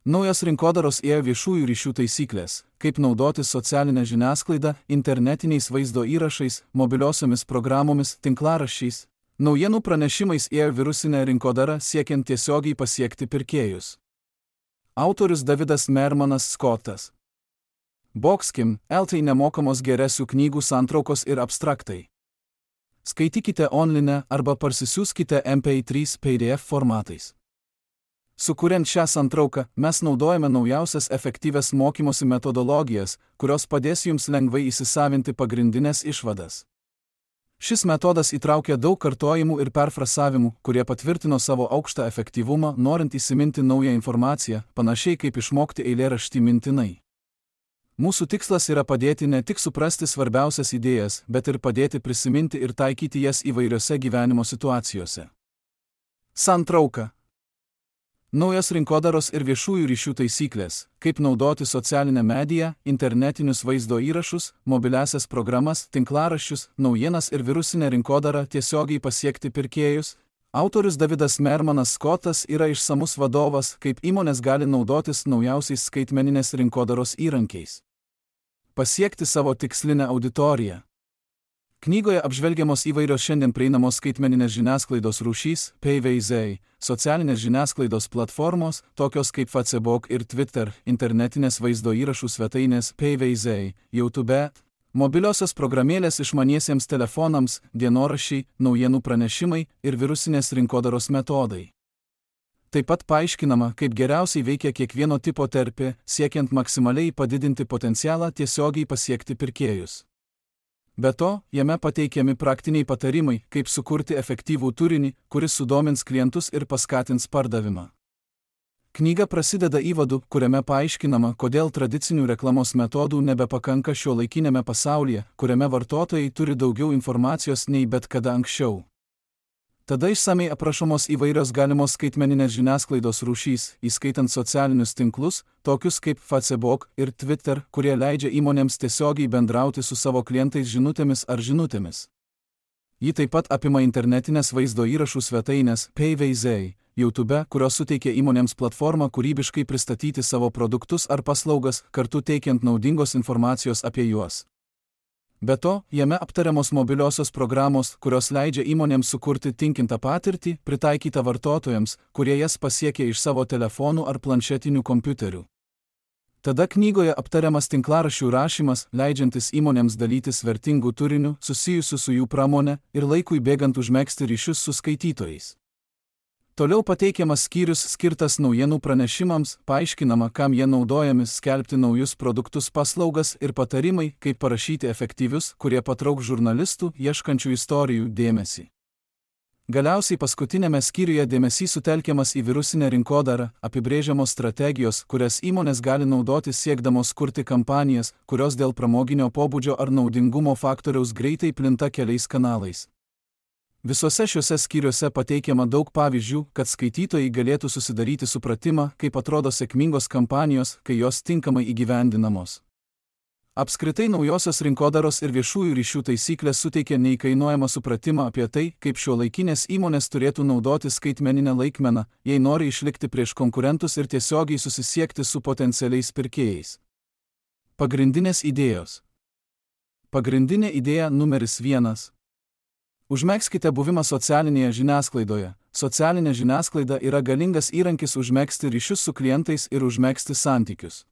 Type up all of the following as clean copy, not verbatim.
Naujos rinkodaros ėjo viešųjų ryšių taisyklės, kaip naudotis socialinę žiniasklaidą, internetiniais vaizdo įrašais, mobiliosiomis programomis, tinklaraščiais. Naujienų pranešimais ėjo virusinė rinkodara siekiant tiesiogiai pasiekti pirkėjus. Autorius Davidas Mermanas Scottas. Boxkim, LT nemokamos geresių knygų santraukos ir abstraktai. Skaitykite online arba parsisiųskite MP3 PDF formatais. Sukuriant šią santrauką, mes naudojame naujausias efektyvias mokymosi metodologijas, kurios padės jums lengvai įsisavinti pagrindinės išvadas. Šis metodas įtraukia daug kartojimų ir perfrasavimų, kurie patvirtino savo aukštą efektyvumą, norint įsiminti naują informaciją, panašiai kaip išmokti eilėraštį mintinai. Mūsų tikslas yra padėti ne tik suprasti svarbiausias idėjas, bet ir padėti prisiminti ir taikyti jas įvairiose gyvenimo situacijose. Santrauka. Naujos rinkodaros ir viešųjų ryšių taisyklės, kaip naudoti socialinę mediją, internetinius vaizdo įrašus, mobiliasias programas, tinklaraščius, naujienas ir virusinę rinkodarą tiesiogiai pasiekti pirkėjus. Autorius Davidas Mermanas Scottas yra išsamus vadovas, kaip įmonės gali naudotis naujausiais skaitmeninės rinkodaros įrankiais. Pasiekti savo tikslinę auditoriją. Knygoje apžvelgiamos įvairios šiandien prieinamos skaitmeninės žiniasklaidos rūšys, PVZ, socialinės žiniasklaidos platformos, tokios kaip Facebook ir Twitter, internetinės vaizdo įrašų svetainės, PVZ, YouTube, mobiliosios programėlės išmaniesiems telefonams, dienoraščiai, naujienų pranešimai ir virusinės rinkodaros metodai. Taip pat paaiškinama, kaip geriausiai veikia kiekvieno tipo terpė, siekiant maksimaliai padidinti potencialą tiesiogiai pasiekti pirkėjus. Be to, jame pateikiami praktiniai patarimai, kaip sukurti efektyvų turinį, kuris sudomins klientus ir paskatins pardavimą. Knyga prasideda įvadu, kuriame paaiškinama, kodėl tradicinių reklamos metodų nebepakanka šiuolaikinėme pasaulyje, kuriame vartotojai turi daugiau informacijos nei bet kada anksčiau. Tada išsamei aprašomos įvairios galimos skaitmeninės žiniasklaidos rūšys, įskaitant socialinius tinklus, tokius kaip Facebook ir Twitter, kurie leidžia įmonėms tiesiogiai bendrauti su savo klientais žinutėmis ar žinutėmis. Ji taip pat apima internetinės vaizdo įrašų svetainės, PVZ, YouTube, kurios suteikia įmonėms platformą kūrybiškai pristatyti savo produktus ar paslaugas, kartu teikiant naudingos informacijos apie juos. Be to, jame aptariamos mobiliosios programos, kurios leidžia įmonėms sukurti tinkintą patirtį, pritaikytą vartotojams, kurie jas pasiekia iš savo telefonų ar planšetinių kompiuterių. Tada knygoje aptariamas tinklaraščių rašymas, leidžiantis įmonėms dalytis vertingų turinių, susijusių su jų pramone ir laikui bėgant užmegzti ryšius su skaitytojais. Toliau pateikiamas skyrius skirtas naujienų pranešimams, paaiškinama, kam jie naudojami skelbti naujus produktus paslaugas ir patarimai, kaip parašyti efektyvius, kurie patrauks žurnalistų, ieškančių istorijų dėmesį. Galiausiai paskutinėme skyriuje dėmesys sutelkiamas į virusinę rinkodarą, apibrėžiamos strategijos, kurias įmonės gali naudoti siekdamos kurti kampanijas, kurios dėl pramoginio pobūdžio ar naudingumo faktoriaus greitai plinta keliais kanalais. Visose šiuose skyriuose pateikiama daug pavyzdžių, kad skaitytojai galėtų susidaryti supratimą, kaip atrodo sėkmingos kampanijos, kai jos tinkamai įgyvendinamos. Apskritai naujosios rinkodaros ir viešųjų ryšių taisyklės suteikia neįkainojamą supratimą apie tai, kaip šiuolaikinės įmonės turėtų naudoti skaitmeninę laikmeną, jei nori išlikti prieš konkurentus ir tiesiogiai susisiekti su potencialiais pirkėjais. Pagrindinės idėjos. Pagrindinė idėja numeris 1. Užmegzkite buvimą socialinėje žiniasklaidoje. Socialinė žiniasklaida yra galingas įrankis užmegzti ryšius su klientais ir užmegzti santykius.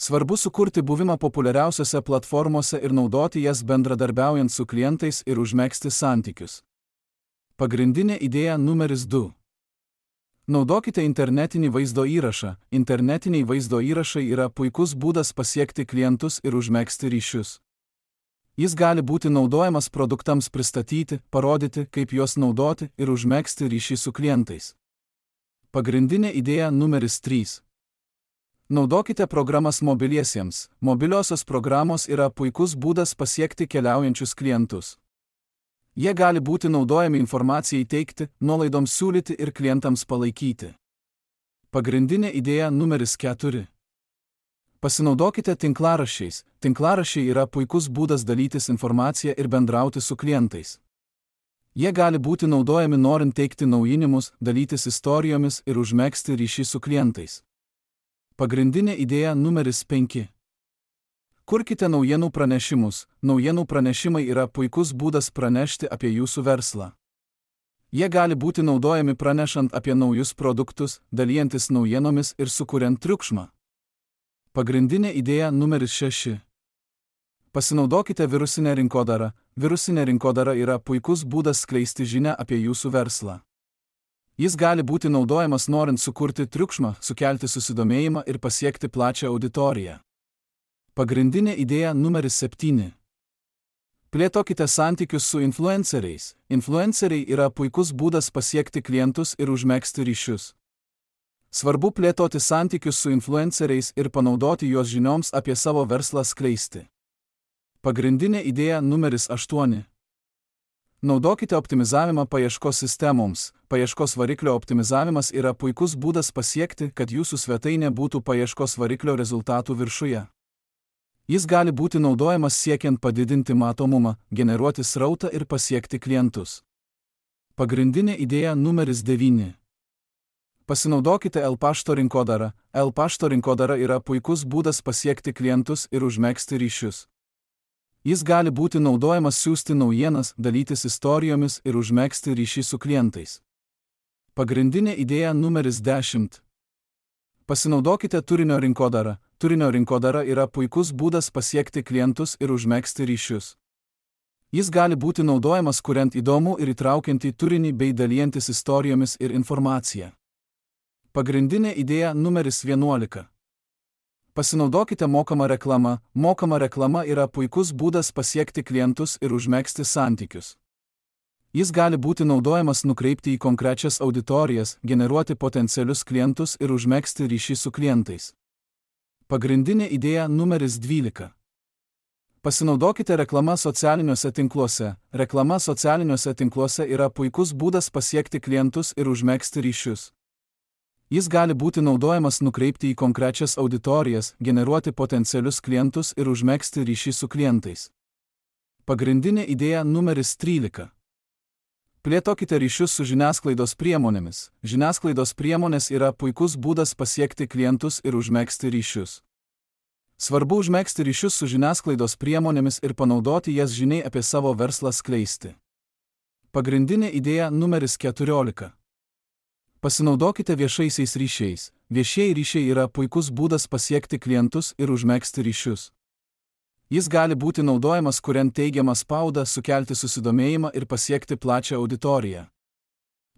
Svarbu sukurti buvimą populiariausiose platformose ir naudoti jas bendradarbiaujant su klientais ir užmegzti santykius. Pagrindinė idėja numeris 2. Naudokite internetinį vaizdo įrašą. Internetiniai vaizdo įrašai yra puikus būdas pasiekti klientus ir užmegzti ryšius. Jis gali būti naudojamas produktams pristatyti, parodyti, kaip juos naudoti ir užmegzti ryšį su klientais. Pagrindinė idėja numeris 3. Naudokite programas mobiliesiems. Mobiliosios programos yra puikus būdas pasiekti keliaujančius klientus. Jie gali būti naudojami informacijai teikti, nuolaidoms siūlyti ir klientams palaikyti. Pagrindinė idėja numeris 4. Pasinaudokite tinklaraščiais. Tinklaraščiai yra puikus būdas dalytis informaciją ir bendrauti su klientais. Jie gali būti naudojami norint teikti naujinimus, dalytis istorijomis ir užmegzti ryšį su klientais. Pagrindinė idėja numeris 5. Kurkite naujienų pranešimus. Naujienų pranešimai yra puikus būdas pranešti apie jūsų verslą. Jie gali būti naudojami pranešant apie naujus produktus, dalijantis naujienomis ir sukuriant triukšmą. Pagrindinė idėja numeris 6. Pasinaudokite virusinę rinkodarą. Virusinė rinkodara yra puikus būdas skleisti žinią apie jūsų verslą. Jis gali būti naudojamas norint sukurti triukšmą, sukelti susidomėjimą ir pasiekti plačią auditoriją. Pagrindinė idėja numeris 7. Plėtokite santykius su influenceriais. Influenceriai yra puikus būdas pasiekti klientus ir užmegzti ryšius. Svarbu plėtoti santykius su influenceriais ir panaudoti juos žinioms apie savo verslą skleisti. Pagrindinė idėja numeris 8. Naudokite optimizavimą paieškos sistemoms. Paieškos variklio optimizavimas yra puikus būdas pasiekti, kad jūsų svetainė būtų paieškos variklio rezultatų viršuje. Jis gali būti naudojamas siekiant padidinti matomumą, generuoti srautą ir pasiekti klientus. Pagrindinė idėja numeris 9. Pasinaudokite L-pašto rinkodarą. L-pašto rinkodara yra puikus būdas pasiekti klientus ir užmegzti ryšius. Jis gali būti naudojamas siųsti naujienas, dalytis istorijomis ir užmegzti ryšį su klientais. Pagrindinė idėja numeris 10. Pasinaudokite turinio rinkodarą. Turinio rinkodara yra puikus būdas pasiekti klientus ir užmegzti ryšius. Jis gali būti naudojamas kuriant įdomų ir įtraukiantį turinį bei dalijantis istorijomis ir informacija. Pagrindinė idėja numeris 11. Pasinaudokite mokamą reklamą. Mokama reklama yra puikus būdas pasiekti klientus ir užmegzti santykius. Jis gali būti naudojamas nukreipti į konkrečias auditorijas, generuoti potencialius klientus ir užmegzti ryšį su klientais. Pagrindinė idėja numeris 12. Pasinaudokite reklama socialiniuose tinkluose. Reklama socialiniuose tinkluose yra puikus būdas pasiekti klientus ir užmegzti ryšius. Jis gali būti naudojamas nukreipti į konkrečias auditorijas, generuoti potencialius klientus ir užmegzti ryšį su klientais. Pagrindinė idėja numeris 13. Plėtokite ryšius su žiniasklaidos priemonėmis. Žiniasklaidos priemonės yra puikus būdas pasiekti klientus ir užmegzti ryšius. Svarbu užmegzti ryšius su žiniasklaidos priemonėmis ir panaudoti jas žiniai apie savo verslą skleisti. Pagrindinė idėja numeris 14. Pasinaudokite viešaisiais ryšiais. Viešieji ryšiai yra puikus būdas pasiekti klientus ir užmegzti ryšius. Jis gali būti naudojamas kuriant teigiamą spaudą, sukelti susidomėjimą ir pasiekti plačią auditoriją.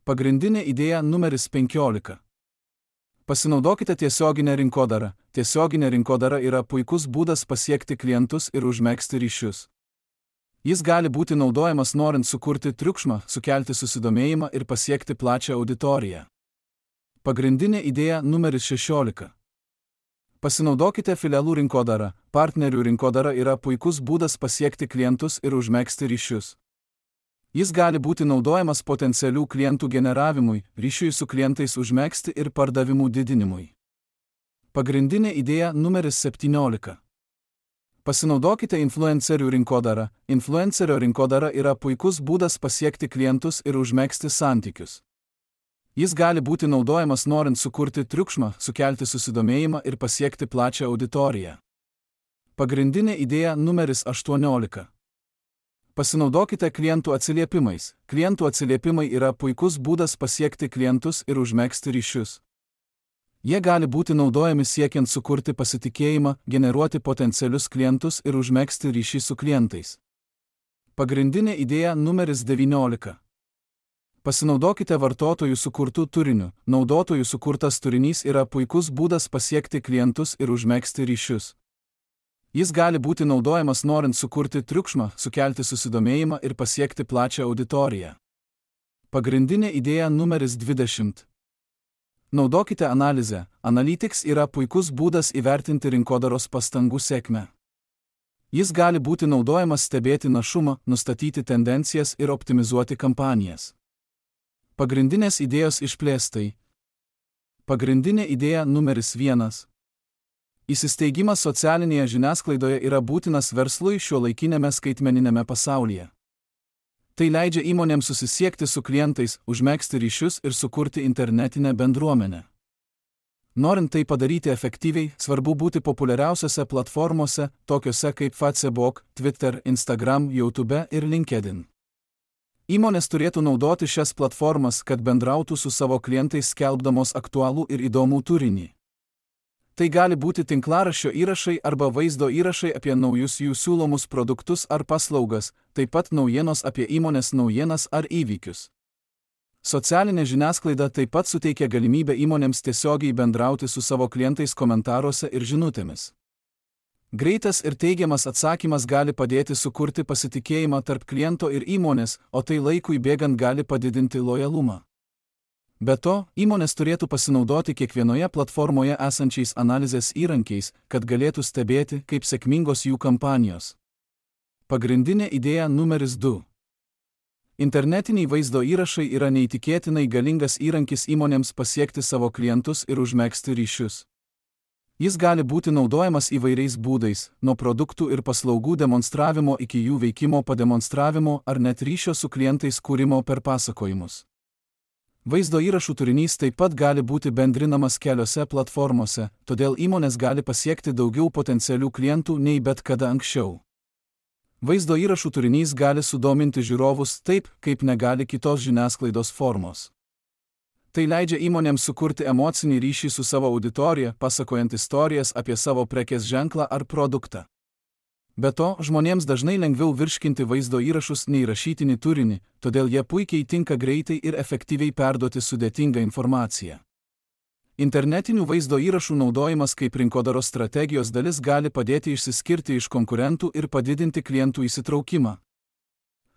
Pagrindinė idėja numeris 15. Pasinaudokite tiesioginę rinkodarą. Tiesioginė rinkodara yra puikus būdas pasiekti klientus ir užmegzti ryšius. Jis gali būti naudojamas norint sukurti triukšmą, sukelti susidomėjimą ir pasiekti plačią auditoriją. Pagrindinė idėja numeris 16. Pasinaudokite filialų rinkodarą. Partnerių rinkodara yra puikus būdas pasiekti klientus ir užmegzti ryšius. Jis gali būti naudojamas potencialių klientų generavimui, ryšiui su klientais užmegzti ir pardavimų didinimui. Pagrindinė idėja numeris 17. Pasinaudokite influencerių rinkodarą. Influencerio rinkodara yra puikus būdas pasiekti klientus ir užmegzti santykius. Jis gali būti naudojamas norint sukurti triukšmą, sukelti susidomėjimą ir pasiekti plačią auditoriją. Pagrindinė idėja numeris 18. Pasinaudokite klientų atsiliepimais. Klientų atsiliepimai yra puikus būdas pasiekti klientus ir užmegzti ryšius. Jie gali būti naudojami siekiant sukurti pasitikėjimą, generuoti potencialius klientus ir užmegzti ryšį su klientais. Pagrindinė idėja numeris 19. Pasinaudokite vartotojų sukurtų turinių. Naudotojų sukurtas turinys yra puikus būdas pasiekti klientus ir užmegzti ryšius. Jis gali būti naudojamas norint sukurti triukšmą, sukelti susidomėjimą ir pasiekti plačią auditoriją. Pagrindinė idėja numeris 20. Naudokite analizę. Analytics yra puikus būdas įvertinti rinkodaros pastangų sėkmę. Jis gali būti naudojamas stebėti našumą, nustatyti tendencijas ir optimizuoti kampanijas. Pagrindinės idėjos išplėstai. Pagrindinė idėja numeris 1. Įsisteigimas socialinėje žiniasklaidoje yra būtinas verslui šiuolaikinėme skaitmeninėme pasaulyje. Tai leidžia įmonėms susisiekti su klientais, užmegzti ryšius ir sukurti internetinę bendruomenę. Norint tai padaryti efektyviai, svarbu būti populiariausiose platformose, tokiose kaip Facebook, Twitter, Instagram, YouTube ir LinkedIn. Įmonės turėtų naudoti šias platformas, kad bendrautų su savo klientais skelbdamos aktualų ir įdomų turinį. Tai gali būti tinklaraščio įrašai arba vaizdo įrašai apie naujus jų siūlomus produktus ar paslaugas, taip pat naujienos apie įmonės naujienas ar įvykius. Socialinė žiniasklaida taip pat suteikia galimybę įmonėms tiesiogiai bendrauti su savo klientais komentaruose ir žinutėmis. Greitas ir teigiamas atsakymas gali padėti sukurti pasitikėjimą tarp kliento ir įmonės, o tai laikui bėgant gali padidinti lojalumą. Be to, įmonės turėtų pasinaudoti kiekvienoje platformoje esančiais analizės įrankiais, kad galėtų stebėti, kaip sėkmingos jų kampanijos. Pagrindinė idėja numeris 2. Internetiniai vaizdo įrašai yra neįtikėtinai galingas įrankis įmonėms pasiekti savo klientus ir užmegzti ryšius. Jis gali būti naudojamas įvairiais būdais, nuo produktų ir paslaugų demonstravimo iki jų veikimo pademonstravimo ar net ryšio su klientais kūrimo per pasakojimus. Vaizdo įrašų turinys taip pat gali būti bendrinamas keliose platformose, todėl įmonės gali pasiekti daugiau potencialių klientų nei bet kada anksčiau. Vaizdo įrašų turinys gali sudominti žiūrovus taip, kaip negali kitos žiniasklaidos formos. Tai leidžia įmonėms sukurti emocinį ryšį su savo auditorija, pasakojant istorijas apie savo prekės ženklą ar produktą. Be to, žmonėms dažnai lengviau virškinti vaizdo įrašus nei rašytinį turinį, todėl jie puikiai tinka greitai ir efektyviai perduoti sudėtingą informaciją. Internetinių vaizdo įrašų naudojimas kaip rinkodaros strategijos dalis gali padėti išsiskirti iš konkurentų ir padidinti klientų įsitraukimą.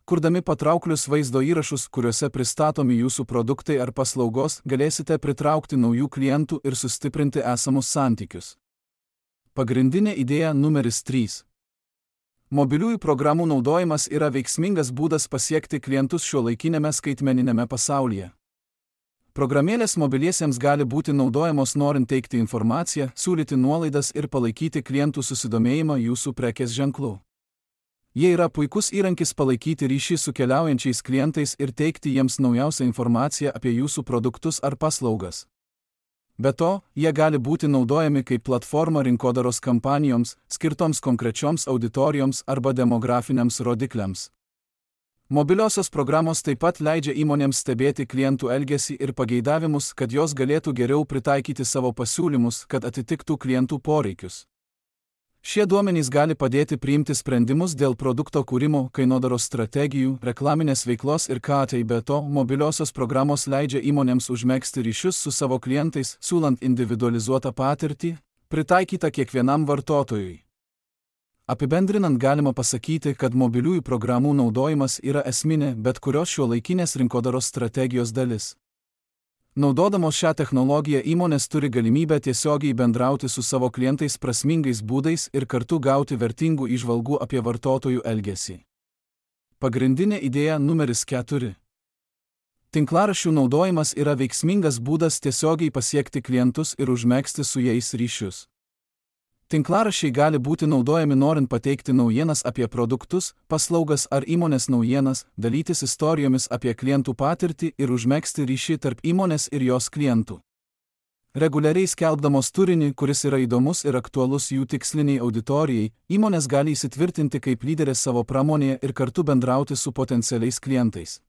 Kurdami patrauklius vaizdo įrašus, kuriuose pristatomi jūsų produktai ar paslaugos, galėsite pritraukti naujų klientų ir sustiprinti esamus santykius. Pagrindinė idėja numeris 3. Mobiliųjų programų naudojimas yra veiksmingas būdas pasiekti klientus šiuolaikinėme skaitmeniniame pasaulyje. Programėlės mobiliesiems gali būti naudojamos norint teikti informaciją, siūlyti nuolaidas ir palaikyti klientų susidomėjimą jūsų prekės ženklu. Jie yra puikus įrankis palaikyti ryšį su keliaujančiais klientais ir teikti jiems naujausią informaciją apie jūsų produktus ar paslaugas. Be to, jie gali būti naudojami kaip platforma rinkodaros kampanijoms, skirtoms konkrečioms auditorijoms arba demografiniams rodikliams. Mobiliosios programos taip pat leidžia įmonėms stebėti klientų elgesį ir pageidavimus, kad jos galėtų geriau pritaikyti savo pasiūlymus, kad atitiktų klientų poreikius. Šie duomenys gali padėti priimti sprendimus dėl produkto kūrimo, kainodaros strategijų, reklaminės veiklos ir ką tai. Be to, mobiliosios programos leidžia įmonėms užmegzti ryšius su savo klientais, siūlant individualizuotą patirtį, pritaikytą kiekvienam vartotojui. Apibendrinant galima pasakyti, kad mobiliųjų programų naudojimas yra esminė bet kurios šiuolaikinės rinkodaros strategijos dalis. Naudodamos šią technologiją įmonės turi galimybę tiesiogiai bendrauti su savo klientais prasmingais būdais ir kartu gauti vertingų įžvalgų apie vartotojų elgesį. Pagrindinė idėja numeris 4. Tinklaraščių naudojimas yra veiksmingas būdas tiesiogiai pasiekti klientus ir užmegzti su jais ryšius. Tinklaraščiai gali būti naudojami norint pateikti naujienas apie produktus, paslaugas ar įmonės naujienas, dalytis istorijomis apie klientų patirtį ir užmegzti ryšį tarp įmonės ir jos klientų. Reguliariai skelbdamos turinį, kuris yra įdomus ir aktualus jų tiksliniai auditorijai, įmonės gali įsitvirtinti kaip lyderės savo pramonėje ir kartu bendrauti su potencialiais klientais.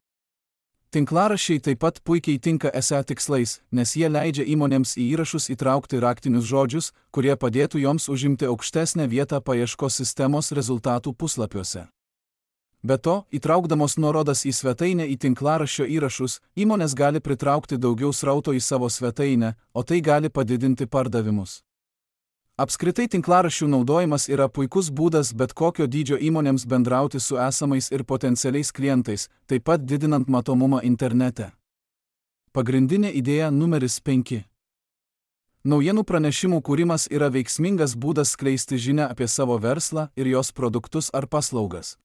Tinklaraščiai taip pat puikiai tinka SEO tikslais, nes jie leidžia įmonėms į įrašus įtraukti raktinius žodžius, kurie padėtų joms užimti aukštesnę vietą paieškos sistemos rezultatų puslapiuose. Be to, įtraukdamos nuorodas į svetainę į tinklaraščio įrašus, įmonės gali pritraukti daugiau srauto į savo svetainę, o tai gali padidinti pardavimus. Apskritai tinklaraščių naudojimas yra puikus būdas bet kokio dydžio įmonėms bendrauti su esamais ir potencialiais klientais, taip pat didinant matomumą internete. Pagrindinė idėja numeris 5. Naujienų pranešimų kūrimas yra veiksmingas būdas skleisti žinią apie savo verslą ir jos produktus ar paslaugas.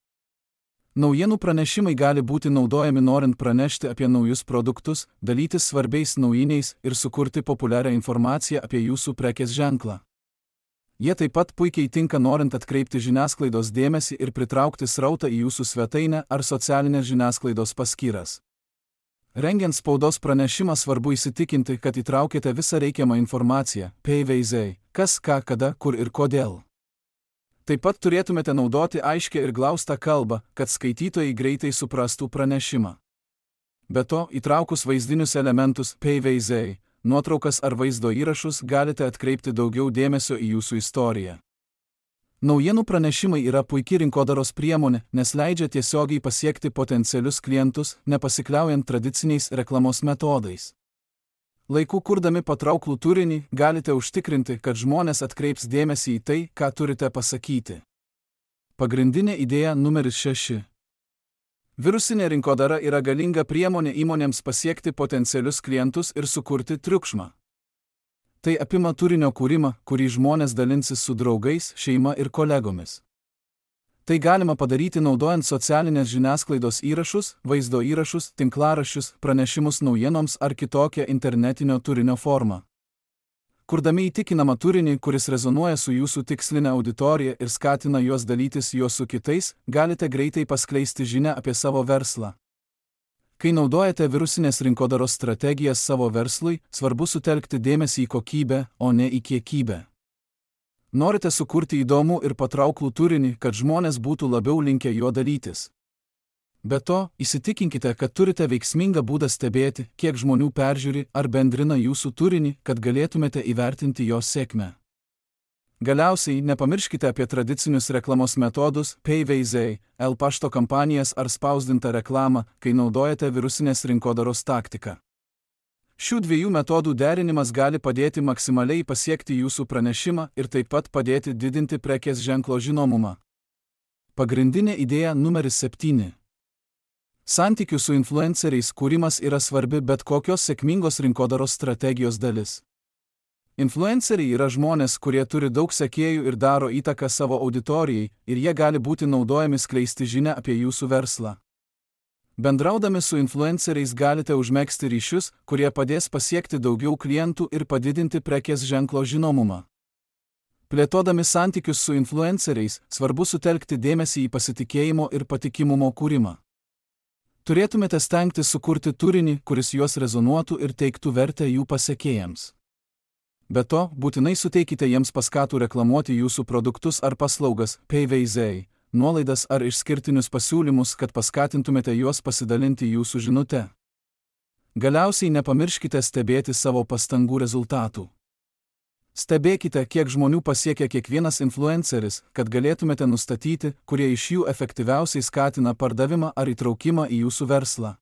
Naujienų pranešimai gali būti naudojami norint pranešti apie naujus produktus, dalytis svarbiais naujiniais ir sukurti populiarią informaciją apie jūsų prekės ženklą. Jie taip pat puikiai tinka norint atkreipti žiniasklaidos dėmesį ir pritraukti srautą į jūsų svetainę ar socialinės žiniasklaidos paskyras. Rengiant spaudos pranešimą svarbu įsitikinti, kad įtraukėte visą reikiamą informaciją, PVZ, kas, ką, kada, kur ir kodėl. Taip pat turėtumėte naudoti aiškią ir glaustą kalbą, kad skaitytojai greitai suprastų pranešimą. Be to, įtraukus vaizdinius elementus, PVZ, nuotraukas ar vaizdo įrašus galite atkreipti daugiau dėmesio į jūsų istoriją. Naujienų pranešimai yra puikia rinkodaros priemonė, nes leidžia tiesiogiai pasiekti potencialius klientus, nepasikliaujant tradiciniais reklamos metodais. Laiku kurdami patrauklų turinį, galite užtikrinti, kad žmonės atkreips dėmesį į tai, ką turite pasakyti. Pagrindinė idėja numeris 6. Virusinė rinkodara yra galinga priemonė įmonėms pasiekti potencialius klientus ir sukurti triukšmą. Tai apima turinio kūrimą, kurį žmonės dalinsis su draugais, šeima ir kolegomis. Tai galima padaryti naudojant socialinės žiniasklaidos įrašus, vaizdo įrašus, tinklaraščius, pranešimus naujienoms ar kitokią internetinio turinio formą. Kurdami įtikinamą turinį, kuris rezonuoja su jūsų tiksline auditorija ir skatina juos dalytis juos su kitais, galite greitai paskleisti žinią apie savo verslą. Kai naudojate virusinės rinkodaros strategijas savo verslui, svarbu sutelkti dėmesį į kokybę, o ne į kiekybę. Norite sukurti įdomų ir patrauklų turinį, kad žmonės būtų labiau linkę juo dalytis. Be to, įsitikinkite, kad turite veiksmingą būdą stebėti, kiek žmonių peržiūri ar bendrina jūsų turinį, kad galėtumėte įvertinti jo sėkmę. Galiausiai, nepamirškite apie tradicinius reklamos metodus, PVZ, pašto kampanijas ar spausdintą reklamą, kai naudojate virusinės rinkodaros taktiką. Šių dviejų metodų derinimas gali padėti maksimaliai pasiekti jūsų pranešimą ir taip pat padėti didinti prekės ženklo žinomumą. Pagrindinė idėja numeris 7. Santykių su influenceriais kūrimas yra svarbi bet kokios sėkmingos rinkodaros strategijos dalis. Influenceriai yra žmonės, kurie turi daug sekėjų ir daro įtaką savo auditorijai, ir jie gali būti naudojami skleisti žinią apie jūsų verslą. Bendraudami su influenceriais galite užmegzti ryšius, kurie padės pasiekti daugiau klientų ir padidinti prekės ženklo žinomumą. Plėtodami santykius su influenceriais, svarbu sutelkti dėmesį į pasitikėjimo ir patikimumo kūrimą. Turėtumėte stengtis sukurti turinį, kuris juos rezonuotų ir teiktų vertę jų pasekėjams. Be to, būtinai suteikite jiems paskatų reklamuoti jūsų produktus ar paslaugas, PVZ, nuolaidas ar išskirtinius pasiūlymus, kad paskatintumėte juos pasidalinti jūsų žinute. Galiausiai nepamirškite stebėti savo pastangų rezultatų. Stebėkite, kiek žmonių pasiekia kiekvienas influenceris, kad galėtumėte nustatyti, kurie iš jų efektyviausiai skatina pardavimą ar įtraukimą į jūsų verslą.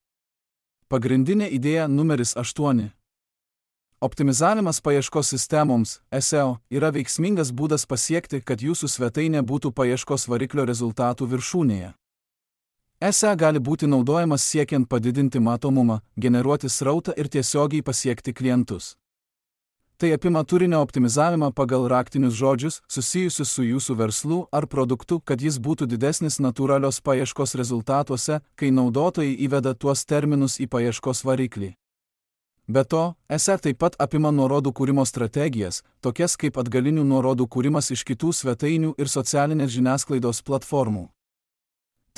Pagrindinė idėja numeris 8. Optimizavimas paieškos sistemoms, SEO, yra veiksmingas būdas pasiekti, kad jūsų svetainė būtų paieškos variklio rezultatų viršūnėje. SEO gali būti naudojamas siekiant padidinti matomumą, generuoti srautą ir tiesiogiai pasiekti klientus. Tai apima turinio optimizavimą pagal raktinius žodžius, susijusius su jūsų verslu ar produktu, kad jis būtų didesnis natūralios paieškos rezultatuose, kai naudotojai įveda tuos terminus į paieškos variklį. Be to, SEO taip pat apima nuorodų kūrimo strategijas, tokias kaip atgalinių nuorodų kūrimas iš kitų svetainių ir socialinės žiniasklaidos platformų.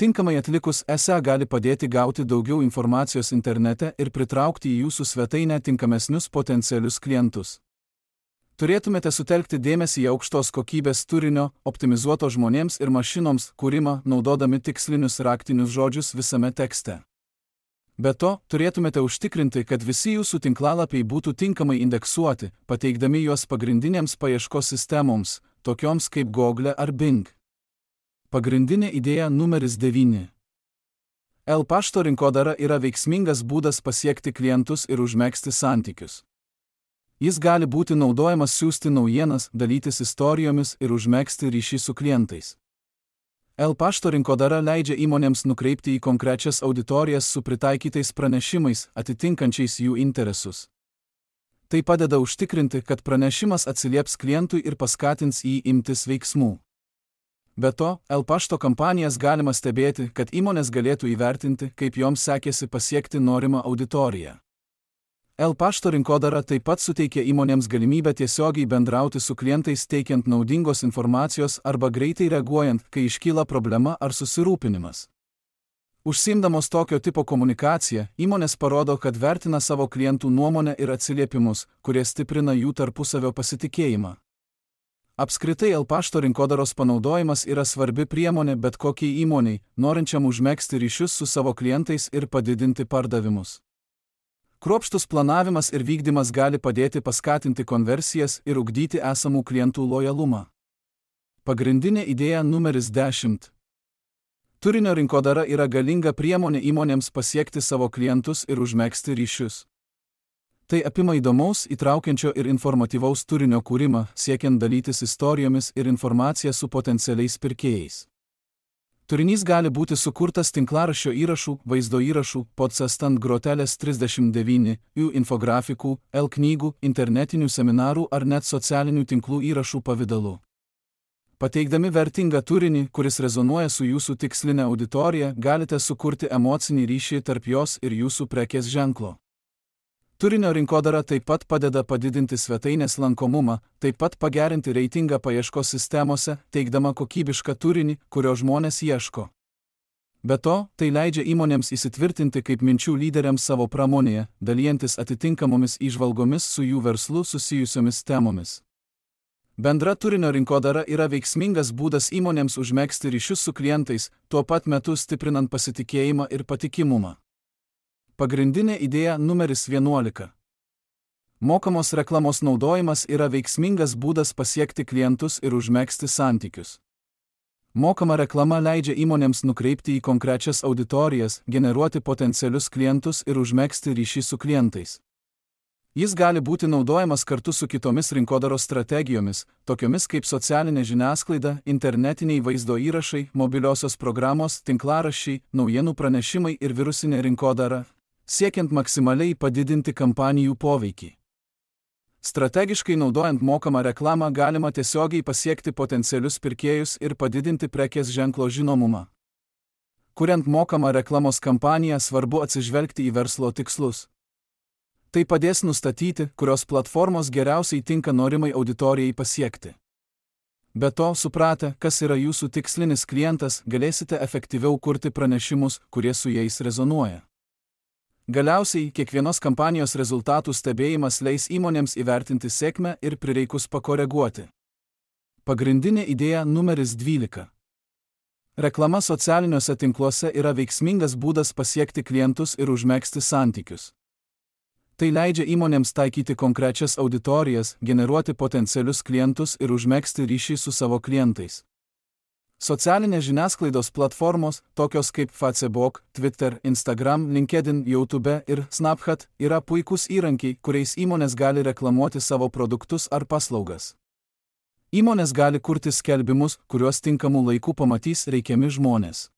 Tinkamai atlikus SEO gali padėti gauti daugiau informacijos internete ir pritraukti į jūsų svetainę tinkamesnius potencialius klientus. Turėtumėte sutelkti dėmesį į aukštos kokybės turinio, optimizuoto žmonėms ir mašinoms kūrimą, naudodami tikslinius raktinius žodžius visame tekste. Be to, turėtumėte užtikrinti, kad visi jūsų tinklalapiai būtų tinkamai indeksuoti, pateikdami juos pagrindinėms paieškos sistemoms, tokioms kaip Google ar Bing. Pagrindinė idėja numeris 9. pašto rinkodara yra veiksmingas būdas pasiekti klientus ir užmegzti santykius. Jis gali būti naudojamas siųsti naujienas, dalytis istorijomis ir užmegzti ryšį su klientais. pašto rinkodara leidžia įmonėms nukreipti į konkrečias auditorijas su pritaikytais pranešimais, atitinkančiais jų interesus. Tai padeda užtikrinti, kad pranešimas atsilieps klientui ir paskatins jį imtis veiksmų. Be to, pašto kampanijas galima stebėti, kad įmonės galėtų įvertinti, kaip joms sekėsi pasiekti norimą auditoriją. pašto rinkodara taip pat suteikia įmonėms galimybę tiesiogiai bendrauti su klientais teikiant naudingos informacijos arba greitai reaguojant, kai iškyla problema ar susirūpinimas. Užsiimdamos tokio tipo komunikaciją, įmonės parodo, kad vertina savo klientų nuomonę ir atsiliepimus, kurie stiprina jų tarpusavio pasitikėjimą. Apskritai pašto rinkodaros panaudojimas yra svarbi priemonė bet kokiai įmoniai, norinčiam užmegzti ryšius su savo klientais ir padidinti pardavimus. Kruopštus planavimas ir vykdymas gali padėti paskatinti konversijas ir ugdyti esamų klientų lojalumą. Pagrindinė idėja numeris 10. Turinio rinkodara yra galinga priemonė įmonėms pasiekti savo klientus ir užmegzti ryšius. Tai apima įdomaus, įtraukiančio ir informatyvaus turinio kūrimą, siekiant dalytis istorijomis ir informacija su potencialiais pirkėjais. Turinys gali būti sukurtas tinklaraščio įrašų, vaizdo įrašų, podcast ant grotelės 39, infografikų, knygų, internetinių seminarų ar net socialinių tinklų įrašų pavidalu. Pateikdami vertingą turinį, kuris rezonuoja su jūsų tikslinė auditorija, galite sukurti emocinį ryšį tarp jos ir jūsų prekės ženklo. Turinio rinkodara taip pat padeda padidinti svetainės lankomumą, taip pat pagerinti reitingą paieškos sistemose, teikdama kokybišką turinį, kurio žmonės ieško. Be to, tai leidžia įmonėms įsitvirtinti kaip minčių lyderiams savo pramonėje, dalijantis atitinkamomis įžvalgomis su jų verslu susijusiomis temomis. Bendra turinio rinkodara yra veiksmingas būdas įmonėms užmegzti ryšius su klientais, tuo pat metu stiprinant pasitikėjimą ir patikimumą. Pagrindinė idėja numeris 11. Mokamos reklamos naudojimas yra veiksmingas būdas pasiekti klientus ir užmegzti santykius. Mokama reklama leidžia įmonėms nukreipti į konkrečias auditorijas, generuoti potencialius klientus ir užmegzti ryšį su klientais. Jis gali būti naudojamas kartu su kitomis rinkodaros strategijomis, tokiomis kaip socialinė žiniasklaida, internetiniai vaizdo įrašai, mobiliosios programos, tinklaraščiai, naujienų pranešimai ir virusinė rinkodara, siekiant maksimaliai padidinti kampanijų poveikį. Strategiškai naudojant mokamą reklamą galima tiesiogiai pasiekti potencialius pirkėjus ir padidinti prekės ženklo žinomumą. Kuriant mokamą reklamos kampaniją, svarbu atsižvelgti į verslo tikslus. Tai padės nustatyti, kurios platformos geriausiai tinka norimai auditorijai pasiekti. Be to, supratę, kas yra jūsų tikslinis klientas, galėsite efektyviau kurti pranešimus, kurie su jais rezonuoja. Galiausiai, kiekvienos kampanijos rezultatų stebėjimas leis įmonėms įvertinti sėkmę ir prireikus pakoreguoti. Pagrindinė idėja numeris 12. Reklama socialiniuose tinkluose yra veiksmingas būdas pasiekti klientus ir užmegzti santykius. Tai leidžia įmonėms taikyti konkrečias auditorijas, generuoti potencialius klientus ir užmegzti ryšį su savo klientais. Socialinės žiniasklaidos platformos, tokios kaip Facebook, Twitter, Instagram, LinkedIn, YouTube ir Snapchat, yra puikūs įrankiai, kuriais įmonės gali reklamuoti savo produktus ar paslaugas. Įmonės gali kurti skelbimus, kuriuos tinkamų laikų pamatys reikiami žmonės.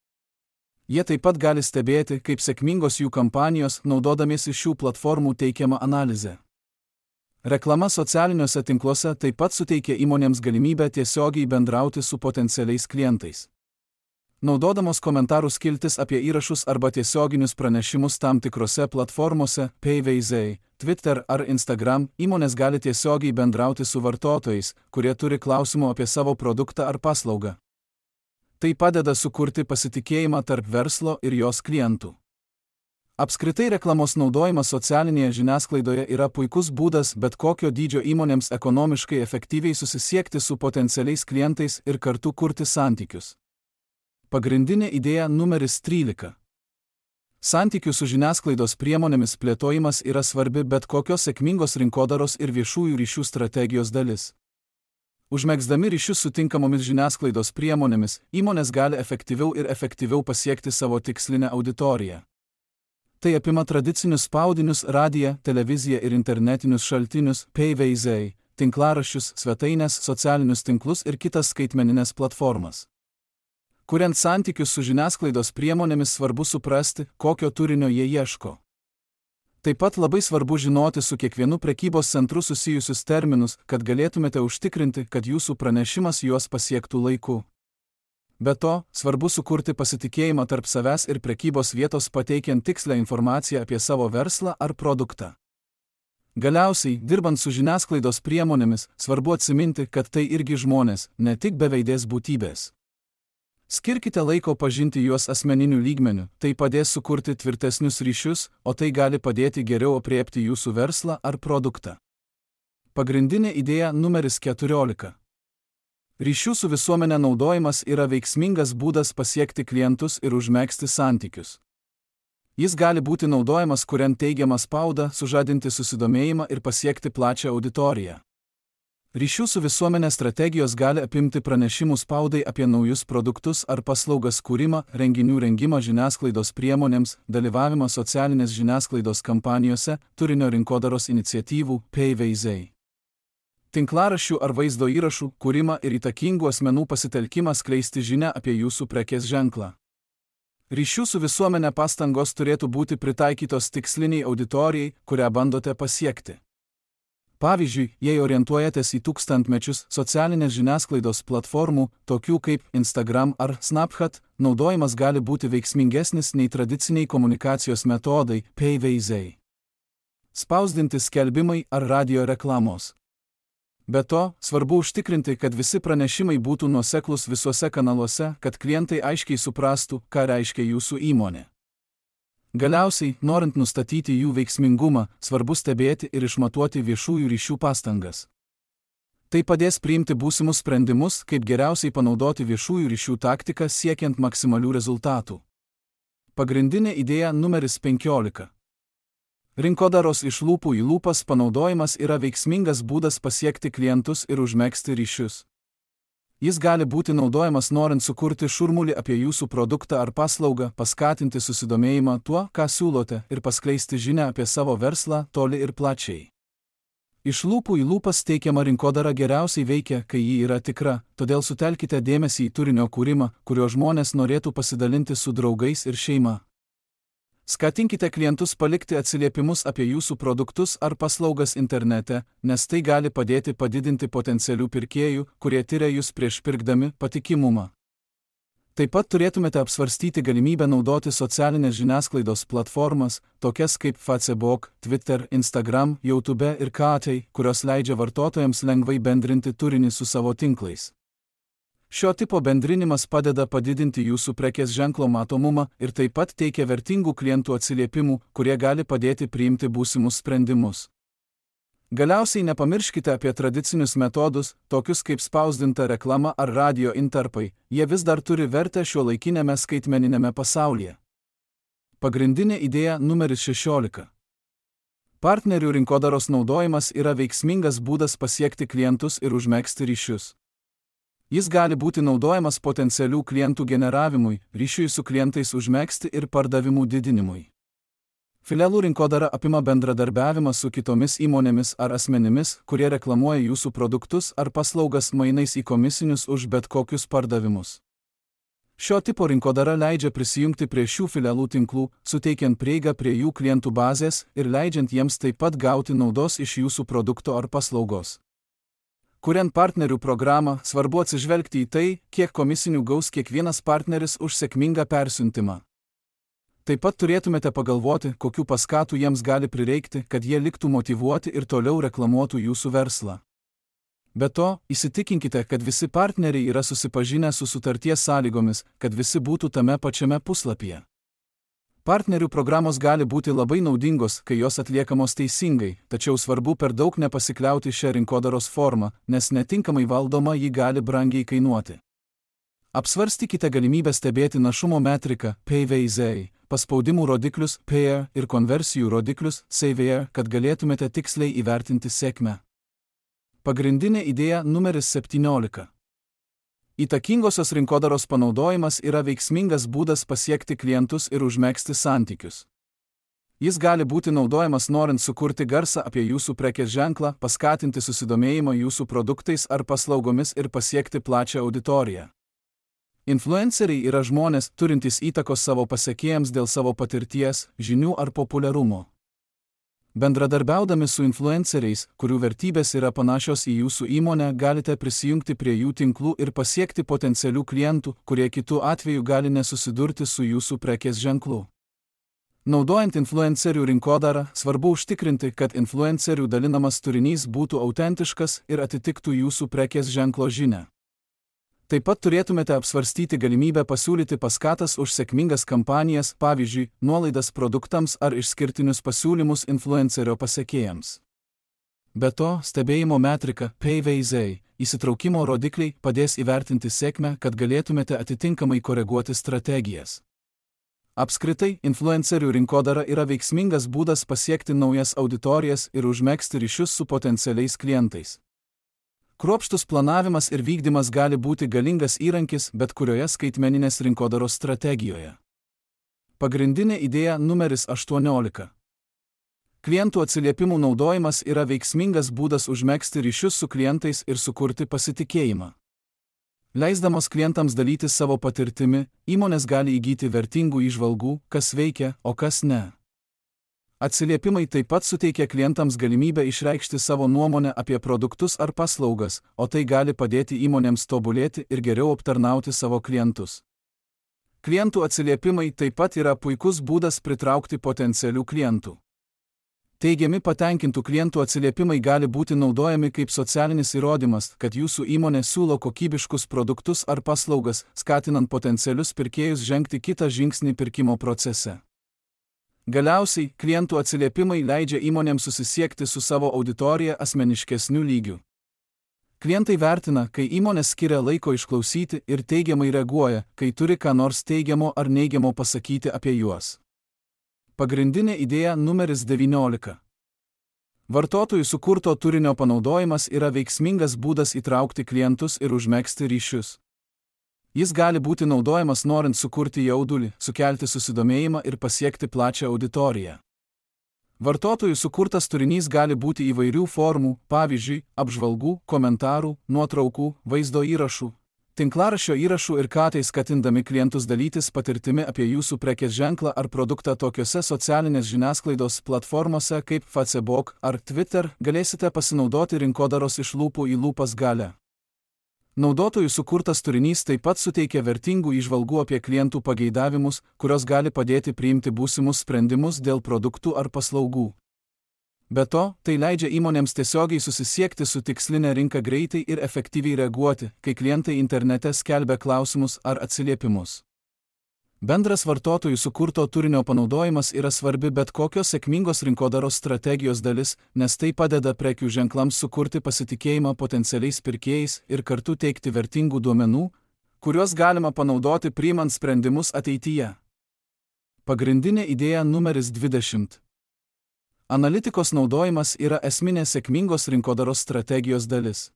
Jie taip pat gali stebėti, kaip sėkmingos jų kampanijos, naudodamiesi šių platformų teikiamą analizę. Reklama socialiniuose tinkluose taip pat suteikia įmonėms galimybę tiesiogiai bendrauti su potencialiais klientais. Naudodamos komentarų skiltis apie įrašus arba tiesioginius pranešimus tam tikrose platformose, PVZ, Twitter ar Instagram, įmonės gali tiesiogiai bendrauti su vartotojais, kurie turi klausimų apie savo produktą ar paslaugą. Tai padeda sukurti pasitikėjimą tarp verslo ir jos klientų. Apskritai reklamos naudojimas socialinėje žiniasklaidoje yra puikus būdas bet kokio dydžio įmonėms ekonomiškai efektyviai susisiekti su potencialiais klientais ir kartu kurti santykius. Pagrindinė idėja numeris 13. Santykių su žiniasklaidos priemonėmis plėtojimas yra svarbi bet kokios sėkmingos rinkodaros ir viešųjų ryšių strategijos dalis. Užmegzdami ryšius su tinkamomis žiniasklaidos priemonėmis, įmonės gali efektyviau pasiekti savo tikslinę auditoriją. Tai apima tradicinius spaudinius, radiją, televiziją ir internetinius šaltinius, PVZ, tinklaraščius, svetaines, socialinius tinklus ir kitas skaitmeninės platformas. Kuriant santykius su žiniasklaidos priemonėmis, svarbu suprasti, kokio turinio jie ieško. Taip pat labai svarbu žinoti su kiekvienu prekybos centru susijusius terminus, kad galėtumėte užtikrinti, kad jūsų pranešimas juos pasiektų laiku. Be to, svarbu sukurti pasitikėjimą tarp savęs ir prekybos vietos pateikiant tikslę informaciją apie savo verslą ar produktą. Galiausiai, dirbant su žiniasklaidos priemonėmis, svarbu atsiminti, kad tai irgi žmonės, ne tik beveidės būtybės. Skirkite laiko pažinti juos asmeniniu lygmeniu, tai padės sukurti tvirtesnius ryšius, o tai gali padėti geriau apriepti jūsų verslą ar produktą. Pagrindinė idėja numeris 14. Ryšių su visuomenė naudojimas yra veiksmingas būdas pasiekti klientus ir užmegzti santykius. Jis gali būti naudojamas kuriant teigiamą spaudą, sužadinti susidomėjimą ir pasiekti plačią auditoriją. Ryšių su visuomenė strategijos gali apimti pranešimų spaudai apie naujus produktus ar paslaugas kūrimą, renginių rengimą žiniasklaidos priemonėms, dalyvavimą socialinės žiniasklaidos kampanijose, turinio rinkodaros iniciatyvų, PVZ. Tinklaraščių ar vaizdo įrašų kūrimą ir įtakingų asmenų pasitelkimą skleisti žinią apie jūsų prekės ženklą. Ryšių su visuomenė pastangos turėtų būti pritaikytos tiksliniai auditorijai, kurią bandote pasiekti. Pavyzdžiui, jei orientuojatės į tūkstantmečius socialinės žiniasklaidos platformų, tokių kaip Instagram ar Snapchat, naudojimas gali būti veiksmingesnis nei tradiciniai komunikacijos metodai, PVZ. Spausdinti skelbimai ar radio reklamos. Be to, svarbu užtikrinti, kad visi pranešimai būtų nuoseklūs visuose kanaluose, kad klientai aiškiai suprastų, ką reiškia jūsų įmonė. Galiausiai, norint nustatyti jų veiksmingumą, svarbu stebėti ir išmatuoti viešųjų ryšių pastangas. Tai padės priimti būsimus sprendimus, kaip geriausiai panaudoti viešųjų ryšių taktiką siekiant maksimalių rezultatų. Pagrindinė idėja numeris 15. Rinkodaros iš lūpų į lūpas panaudojimas yra veiksmingas būdas pasiekti klientus ir užmegzti ryšius. Jis gali būti naudojamas norint sukurti šurmulį apie jūsų produktą ar paslaugą, paskatinti susidomėjimą tuo, ką siūlote, ir paskleisti žinią apie savo verslą toli ir plačiai. Iš lūpų į lūpas teikiama rinkodara geriausiai veikia, kai ji yra tikra, todėl sutelkite dėmesį į turinio kūrimą, kurio žmonės norėtų pasidalinti su draugais ir šeima. Skatinkite klientus palikti atsiliepimus apie jūsų produktus ar paslaugas internete, nes tai gali padėti padidinti potencialių pirkėjų, kurie tiria jūs prieš pirkdami, patikimumą. Taip pat turėtumėte apsvarstyti galimybę naudoti socialinės žiniasklaidos platformas, tokias kaip Facebook, Twitter, Instagram, YouTube ir Katai, kurios leidžia vartotojams lengvai bendrinti turinį su savo tinklais. Šio tipo bendrinimas padeda padidinti jūsų prekės ženklo matomumą ir taip pat teikia vertingų klientų atsiliepimų, kurie gali padėti priimti būsimus sprendimus. Galiausiai nepamirškite apie tradicinius metodus, tokius kaip spausdinta reklama ar radio intarpai, jie vis dar turi vertę šiuolaikinėme skaitmeninėme pasaulyje. Pagrindinė idėja numeris 16. Partnerių rinkodaros naudojimas yra veiksmingas būdas pasiekti klientus ir užmegzti ryšius. Jis gali būti naudojamas potencialių klientų generavimui, ryšiui su klientais užmegzti ir pardavimų didinimui. Filialų rinkodara apima bendradarbiavimą su kitomis įmonėmis ar asmenimis, kurie reklamuoja jūsų produktus ar paslaugas mainais į komisinius už bet kokius pardavimus. Šio tipo rinkodara leidžia prisijungti prie šių filialų tinklų, suteikiant prieigą prie jų klientų bazės ir leidžiant jiems taip pat gauti naudos iš jūsų produkto ar paslaugos. Kuriant partnerių programą, svarbu atsižvelgti į tai, kiek komisinių gaus kiekvienas partneris už sėkmingą persiuntimą. Taip pat turėtumėte pagalvoti, kokių paskatų jiems gali prireikti, kad jie liktų motyvuoti ir toliau reklamuotų jūsų verslą. Be to, įsitikinkite, kad visi partneriai yra susipažinę su sutarties sąlygomis, kad visi būtų tame pačiame puslapyje. Partnerių programos gali būti labai naudingos, kai jos atliekamos teisingai, tačiau svarbu per daug nepasikliauti šią rinkodaros formą, nes netinkamai valdoma ji gali brangiai kainuoti. Apsvarstykite galimybę stebėti našumo metriką, PVZ, paspaudimų rodiklius, PR ir konversijų rodiklius, CVR, kad galėtumėte tiksliai įvertinti sėkmę. Pagrindinė idėja numeris 17. Įtakingosios rinkodaros panaudojimas yra veiksmingas būdas pasiekti klientus ir užmegzti santykius. Jis gali būti naudojamas norint sukurti garsą apie jūsų prekės ženklą, paskatinti susidomėjimą jūsų produktais ar paslaugomis ir pasiekti plačią auditoriją. Influenceriai yra žmonės, turintys įtakos savo pasekėjams dėl savo patirties, žinių ar populiarumo. Bendradarbiaudami su influenceriais, kurių vertybės yra panašios į jūsų įmonę, galite prisijungti prie jų tinklų ir pasiekti potencialių klientų, kurie kitu atveju gali nesusidurti su jūsų prekės ženklu. Naudojant influencerių rinkodarą, svarbu užtikrinti, kad influencerių dalinamas turinys būtų autentiškas ir atitiktų jūsų prekės ženklo žinią. Taip pat turėtumėte apsvarstyti galimybę pasiūlyti paskatas už sėkmingas kampanijas, pavyzdžiui, nuolaidas produktams ar išskirtinius pasiūlymus influencerio pasekėjams. Be to, stebėjimo metrika, PVZ, įsitraukimo rodikliai padės įvertinti sėkmę, kad galėtumėte atitinkamai koreguoti strategijas. Apskritai, influencerių rinkodara yra veiksmingas būdas pasiekti naujas auditorijas ir užmegzti ryšius su potencialiais klientais. Kruopštus planavimas ir vykdymas gali būti galingas įrankis bet kurioje skaitmeninės rinkodaros strategijoje. Pagrindinė idėja numeris 18. Klientų atsiliepimų naudojimas yra veiksmingas būdas užmegzti ryšius su klientais ir sukurti pasitikėjimą. Leisdamos klientams dalytis savo patirtimi, įmonės gali įgyti vertingų įžvalgų, kas veikia, o kas ne. Atsiliepimai taip pat suteikia klientams galimybę išreikšti savo nuomonę apie produktus ar paslaugas, o tai gali padėti įmonėms tobulėti ir geriau aptarnauti savo klientus. Klientų atsiliepimai taip pat yra puikus būdas pritraukti potencialių klientų. Teigiami patenkintų klientų atsiliepimai gali būti naudojami kaip socialinis įrodymas, kad jūsų įmonė siūlo kokybiškus produktus ar paslaugas, skatinant potencialius pirkėjus žengti kitą žingsnį pirkimo procese. Galiausiai, klientų atsiliepimai leidžia įmonėms susisiekti su savo auditorija asmeniškesniu lygiu. Klientai vertina, kai įmonės skiria laiko išklausyti ir teigiamai reaguoja, kai turi ką nors teigiamo ar neigiamo pasakyti apie juos. Pagrindinė idėja numeris 19. Vartotojų sukurto turinio panaudojimas yra veiksmingas būdas įtraukti klientus ir užmegzti ryšius. Jis gali būti naudojamas norint sukurti jaudulį, sukelti susidomėjimą ir pasiekti plačią auditoriją. Vartotojų sukurtas turinys gali būti įvairių formų, pavyzdžiui, apžvalgų, komentarų, nuotraukų, vaizdo įrašų, tinklaraščio įrašų ir tai skatindami klientus dalytis patirtimi apie jūsų prekės ženklą ar produktą tokiose socialinės žiniasklaidos platformose kaip Facebook ar Twitter galėsite pasinaudoti rinkodaros iš lūpų į lūpas galią. Naudotojų sukurtas turinys taip pat suteikia vertingų įžvalgų apie klientų pageidavimus, kurios gali padėti priimti būsimus sprendimus dėl produktų ar paslaugų. Be to, tai leidžia įmonėms tiesiogiai susisiekti su tikslinė rinka greitai ir efektyviai reaguoti, kai klientai internete skelbia klausimus ar atsiliepimus. Bendras vartotojų sukurto turinio panaudojimas yra svarbi bet kokios sėkmingos rinkodaros strategijos dalis, nes tai padeda prekių ženklams sukurti pasitikėjimą potencialiais pirkėjais ir kartu teikti vertingų duomenų, kuriuos galima panaudoti priimant sprendimus ateityje. Pagrindinė idėja numeris 20. Analitikos naudojimas yra esminė sėkmingos rinkodaros strategijos dalis.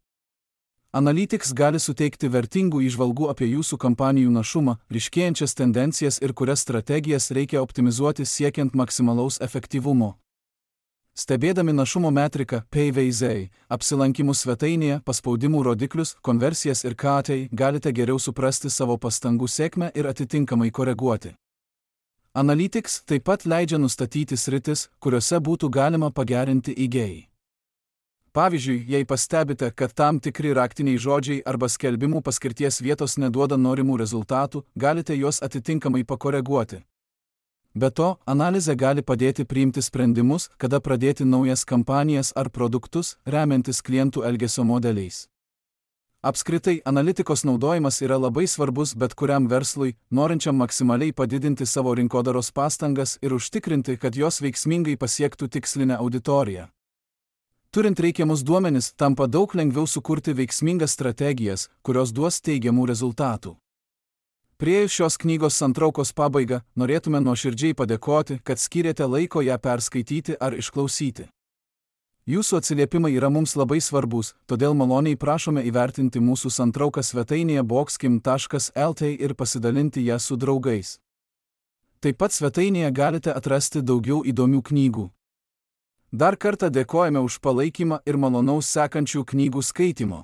Analytics gali suteikti vertingų įžvalgų apie jūsų kampanijų našumą, ryškėjančias tendencijas ir kurias strategijas reikia optimizuoti siekiant maksimalaus efektyvumo. Stebėdami našumo metriką PVZ, apsilankimų svetainėje, paspaudimų rodiklius, konversijas ir tai galite geriau suprasti savo pastangų sėkmę ir atitinkamai koreguoti. Analytics taip pat leidžia nustatyti sritis, kuriuose būtų galima pagerinti įgėjai. Pavyzdžiui, jei pastebite, kad tam tikri raktiniai žodžiai arba skelbimų paskirties vietos neduoda norimų rezultatų, galite juos atitinkamai pakoreguoti. Be to, analizė gali padėti priimti sprendimus, kada pradėti naujas kampanijas ar produktus, remiantis klientų elgesio modeliais. Apskritai, analitikos naudojimas yra labai svarbus bet kuriam verslui, norinčiam maksimaliai padidinti savo rinkodaros pastangas ir užtikrinti, kad jos veiksmingai pasiektų tikslinę auditoriją. Turint reikiamus duomenis, tampa daug lengviau sukurti veiksmingas strategijas, kurios duos teigiamų rezultatų. Priėjus šios knygos santraukos pabaigą, norėtume nuoširdžiai padėkoti, kad skyrėte laiko ją perskaityti ar išklausyti. Jūsų atsiliepimai yra mums labai svarbus, todėl maloniai prašome įvertinti mūsų santrauką svetainėje boxkim.lt ir pasidalinti ją su draugais. Taip pat svetainėje galite atrasti daugiau įdomių knygų. Dar kartą dėkojame už palaikymą ir malonaus sekančių knygų skaitimo.